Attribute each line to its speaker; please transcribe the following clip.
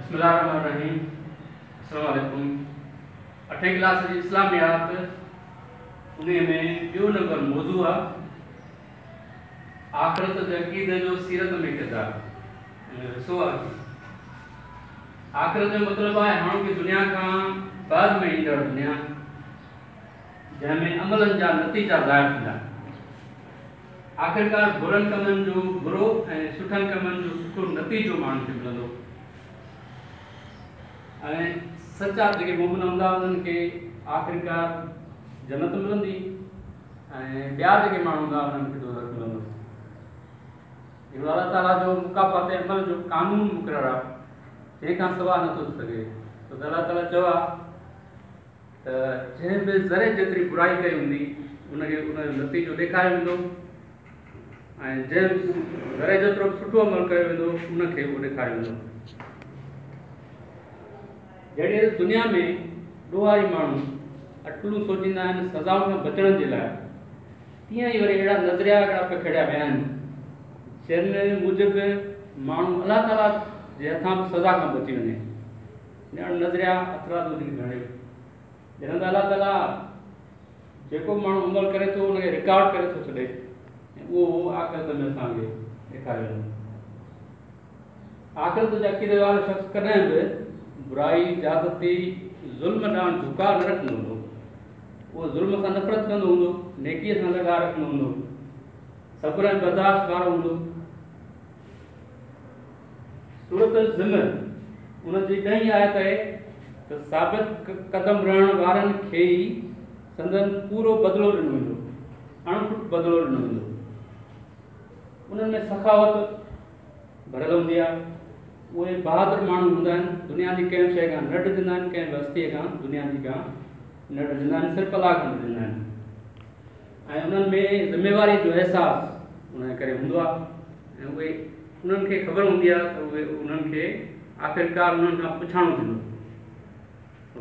Speaker 1: بسم الله الرحمن الرحيم السلام عليڪم. اٺين ڪلاس جي اسلاميات انهي ۾ ٻيو نمبر موضوع آ آخرت جي عقيدي جو سيرت ۾ ڪردار ان جو حصو آهي. آخرت جو مطلب آهي هاڻوڪي دنيا کان بعد ۾ ايندڙ دنيا جنهن ۾ عملن جا نتيجا ظاهر ٿيندا. آخرڪار برن ڪمن جو برو ۽ سٺن ڪمن جو سٺو نتيجو ماڻهن کي ملندو ۽ سچا جيڪي مومن هوندا انهن کي آخرڪار جنت ملندي ۽ ٻيا جيڪي ماڻهو هوندا انهن کي دوزخ ملندو. اهو الله تعاليٰ جو مڪافات عمل جو قانون مقرر آهي جنهن کان سواء نٿو ٿي سگهي. ڇو ته الله تعاليٰ چيو آهي ته جنهن به ذري جيتري برائي ڪئي هوندي ان کي ان جو نتيجو ڏيکاريو ويندو ۽ جنهن ذري جيترو به سٺو عمل ڪيو ويندو ان کي اهو ڏيکاريو ويندو. جهڙي ريت دنيا ۾ ڏوهاري ماڻهو اٽڪلون سوچيندا آهن سزائن کان بچڻ جي لاء، تيئن ئي وري اهڙا نظريا هڪڙا پکيڙيا ويا آهن جن موجب ماڻهو الله تعاليٰ جي هٿان به سزا کان بچي وڃي. اهڙا نظريا هٿرادو جن گهڙيو جڏهن ته الله تعاليٰ جيڪو به ماڻهو عمل ڪري ٿو ان کي رڪارڊ ڪري ٿو ڇڏي ۽ اهو آخرت ۾ اسان کي ڏيکاريو ويندو. آخرت جي عقيدي وارو شخص ڪڏهن به برائي، زيادتي، ظلم ڏانهن جهڪاء نه رکندو هوندو. اهو ظلم سان نفرت ڪندو هوندو، نيڪيء سان لڳاء رکندو هوندو، صبر ۽ برداشت وارو هوندو. سورة الزمر ان جي ڏهين آيت آهي ته ثابت قدم رهڻ وارن کي ئي سندن پورو بدلو ڏنو ويندو، اڻ کٽ بدلو ڏنو ويندو. انهن ۾ سخاوت ڀريل هوندي آهي. اهي بهادر ماڻهو هوندا آهن، دنيا جي ڪنهن به شيء کان نه ڊڄندا آهن، ڪنهن به هستيء کان دنيا جي کان نه ڊڄندا آهن، صرف الله کان ڊڄندا آهن ۽ انهن ۾ ذميواري جو احساس ان جي ڪري هوندو آهي ۽ اهي انهن کي خبر هوندي آهي ته اهي انهن کي آخرڪار انهن کان پڇاڻو ٿيندو.